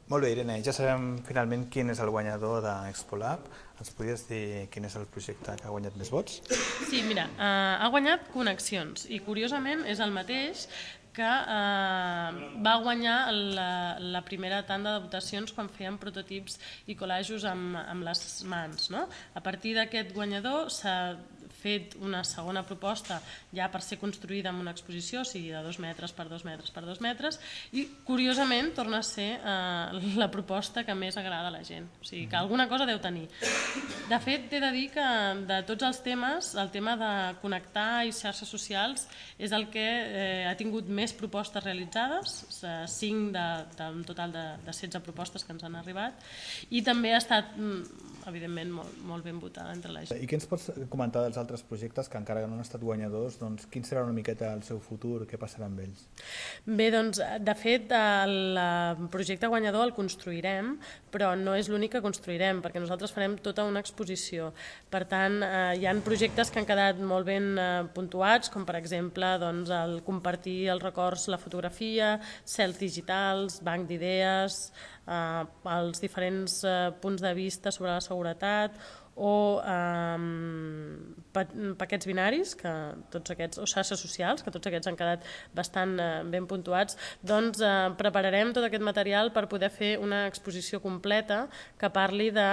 Molt bé, Irene, ja sabem finalment quin és el guanyador d'ExpoLab. Ens podries dir quin és el projecte que ha guanyat més vots? Sí, mira, ha guanyat Connexions i curiosament és el mateix que va guanyar la primera tanda de votacions quan feien prototips i col·lajos amb les mans. No? A partir d'aquest guanyador s'ha fet una segona proposta ja per ser construïda en una exposició, o sigui de 2 metres per 2 metres per 2 metres, i curiosament torna a ser la proposta que més agrada a la gent, o sigui que alguna cosa deu tenir. De fet, t'he de dir que de tots els temes, el tema de connectar i xarxes socials és el que ha tingut més propostes realitzades, 5 d'un total de 16 propostes que ens han arribat, i també ha estat, evidentment, molt ben votada entre la gent. I què ens pots comentar dels altres projectes que encara no han estat guanyadors? Doncs quin serà una miqueta el seu futur? Què passarà amb ells? Bé, doncs, de fet, el projecte guanyador el construirem, però no és l'únic que construirem, perquè nosaltres farem tota una exposició. Per tant, hi ha projectes que han quedat molt ben puntuats, com per exemple doncs, el compartir els records, la fotografia, cels digitals, banc d'idees, els diferents punts de vista sobre la seguretat, o paquets binaris, que tots aquests, o xarxes socials, que tots aquests han quedat bastant ben puntuats. Doncs prepararem tot aquest material per poder fer una exposició completa que parli de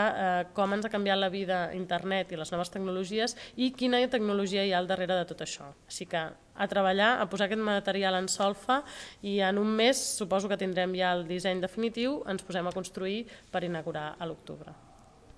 com ens ha canviat la vida internet i les noves tecnologies i quina tecnologia hi ha al darrere de tot això. Així que a treballar, a posar aquest material en solfa, i en un mes suposo que tindrem ja el disseny definitiu, ens posem a construir per inaugurar a l'octubre.